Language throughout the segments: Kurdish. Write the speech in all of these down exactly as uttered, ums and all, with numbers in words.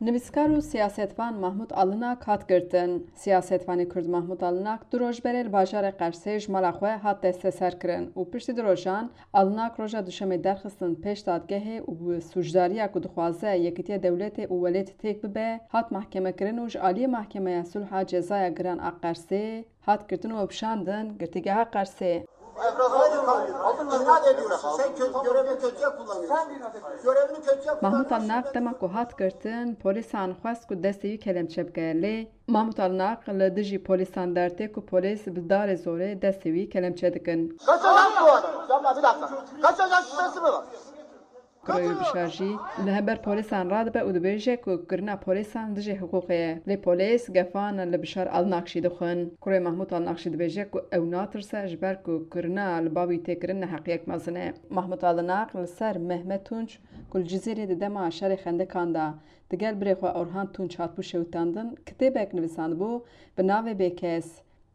Nivîskar û siyasetvan Mahmûd Alinak hat girtin. Siyasetvanê Kurd Mahmûd Alinak du roj berê li bajarê Qersê ji mala xwe hat desteserkirin û piştî du rojan Alinak roja Duşemê derxistin pêş dadgehê û bi sûcdariya ku dixwaze yekîtiya dewletê û welêt têk bibe, hat mahkemekirin û ji aliyê Mahkemeya Sulha Cezaya Giran a Qersê hat girtin û hewşandin girtîgeha Qersê. Sen kötü, görevini kötüye kullanıyorsun. Görevini kötüye kullanıyorsun. Mahmûd Alinak dema ku hat girtin, polîsan xwest ku destê wî kelemçe bike, lê Mahmûd Alinak li dijî polîsan dertê ku polîs bi darê zorê destê wî kelemçe dikin. Kaçacak bu adam. Yapma, bir dakika. Kaçacak şüphesi mi var? Kurê wî Bişar jî li hember polîsan radibe û dibêje ku kirina polîsan dijî hiqûqê ye. Lê polîs gefan li Bişar Alinak jî dixwin. Kurê Mahmûd Alinak jî dibêje ku ew natirse, ji ber ku kirina li ba wî tê kirin neheqiyek mezin e. Mahmûd Alinak li ser Mehmet Tunç ku li Cizîrê di dema şerê xendekan de digel birê xwe Orhan Tunç hatibû şewitandin, kitêbek nivîsandibû bi navê Bêkes.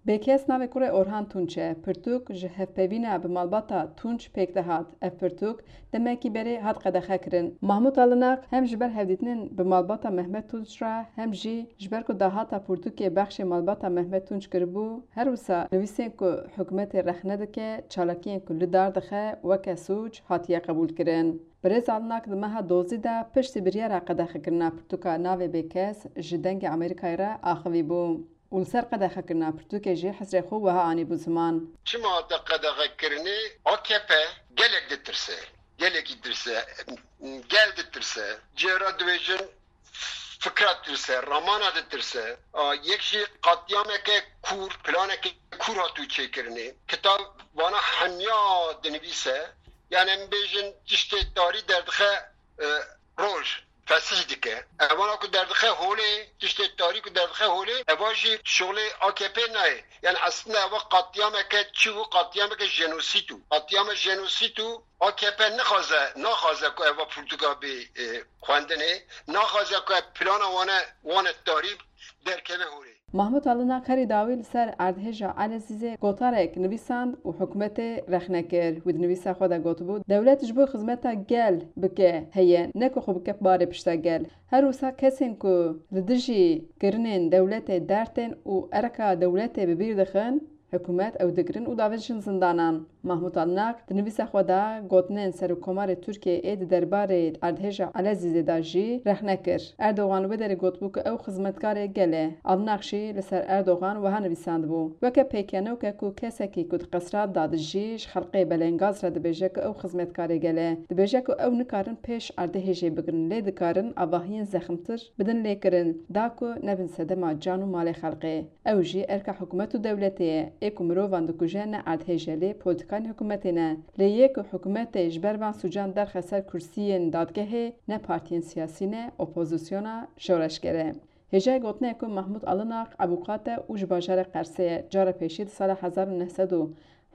Bêkes navê kurê Orhan Tunç e. Pirtûk ji hevpeyvîna bi malbata Tunç pêk dihat. Ev pirtûk demekî berê hat qedexekirin. Mahmûd Alinak hem ji ber hevdîtinên bi malbata Mehmet Tunç re, hem jî ji ber ku dahata pirtûkê bexşê malbata Mehmet Tunç kiribû, her wisa nivîsên ku hikûmetê rexne dike, çalakiyên ku li dar dixe weke sûc hatiye qebûlkirin. Birêz Alinak di meha dozî de piştî biryara qedexekirina pirtûka Navê Bêkes ji Dengê Amerîkayê re axivî bû. Û li ser qedexekirina pirtûkê jî hizrê xwe wiha anîbû ziman. Çima hate qedexekirinê? A K P gelek ditirse. Gelekî ditirse. Gel ditirse. Cêra dibêjin fikra ditirse, ramana ditirse. A, yek jî qatiyameke kûr, planeke kûr hatû çêkirinê. Kitab vana hemiya dinivîse. Yani em bêjin tiştê tarî derdixe, e, roj. Fesih dike. Evana ku derdixe holê, tiştê tarî ku derdixe holê, eva jî şolê A K P nayê. Yani aslında eva qatiyameke çi bû? Qatiyameke jenosît û. Qatiyame jenosît û A K P nixwaze, naxwaze ku eva pirtûka bê, e, xwendinê, naxwaze ku ev plana wane, wane tarî derkeve holê. Mahmûd Alinak herî dawî li ser erdhêja Elezîzê gotarek nivîsand û hikûmetê rexne kir. Wî di nivîsa xwe de gotibû, dewlet ji bo xizmeta gel bike heye, ne ku xwe bike barê pişta gel. Her wisa kesên ku li dijî kirinên dewletê derd tên û erka dewletê bi bîr dixin, hikûmet ew digirin û davêjin zindanan. Mahmûd Alinak di nivîsa xwe de gotinên Serokkomarê Tirkiyeyê ê di derbarê erdhêja Elezîzê de jî rexne kir. Erdogan li wê derê gotibû ku ew xizmetkarê gel e. Alinak jî li ser Erdogan wiha nivîsandibû, weke pêkenokê ku kesekî ku di qesra de dijî ji xelqê belengaz re dibêje ku ew xizmetkarê gel e. Dibêje ku ew nikarin pêş erdhêjê bigirin, lê dikarin avahiyên zexmtir bidin lêkirin, da ku nebin sedema can û malê xelqê. Ew jî erka hikûmet û dewletê ye. Ê ku mirovan dikuje ne erdhêj e, lê polîtîkanên hikûmetê ne. Lê yê ku hikûmetê ji ber van sûcan derxe ser kursiyên dadgehê ne partiyên siyasî ne, opozîsyona şoreşger e. Hêjayê gotinê ye ku Mahmûd Alinak ebûqat e û ji bajarê Qersê ye. Cara pêşî di sala hezar û neh sed û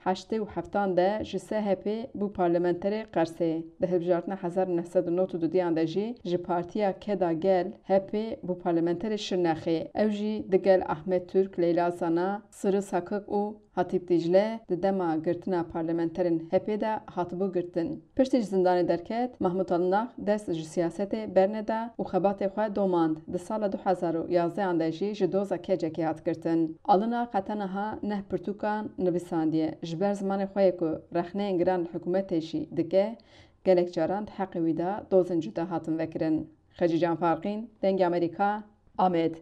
heştê û heftan de ji S H P bû parlamenterê Qersê. Di hilbijartina hezar û neh sed û nod û duduyan de jî ji Partiya Keda Gel, H P, bû parlamenterê Şirnexê. Ew jî digel Ahmet Türk, Leyla Zana, Sırrı Sakık û Hatîp Dicle di dema girtina parlamenterên H P de hatibû girtin. Piştî ji zindanê derket, Mahmûd Alinak dest ji siyasetê berneda û xebatê xwe domand. Di sala du hezar û yazdehan de jî ji doza kecekê hat girtin. Alinak heta niha neh pirtûkan nivîsandiye. Ji ber zimanê xwe yê ku rexneyên giran li hikûmetê jî dike, gelek caran di heqê wî de dozên cuda hatin vekirin. Xecîcan Farqîn, Dengê Amerîka, Amed.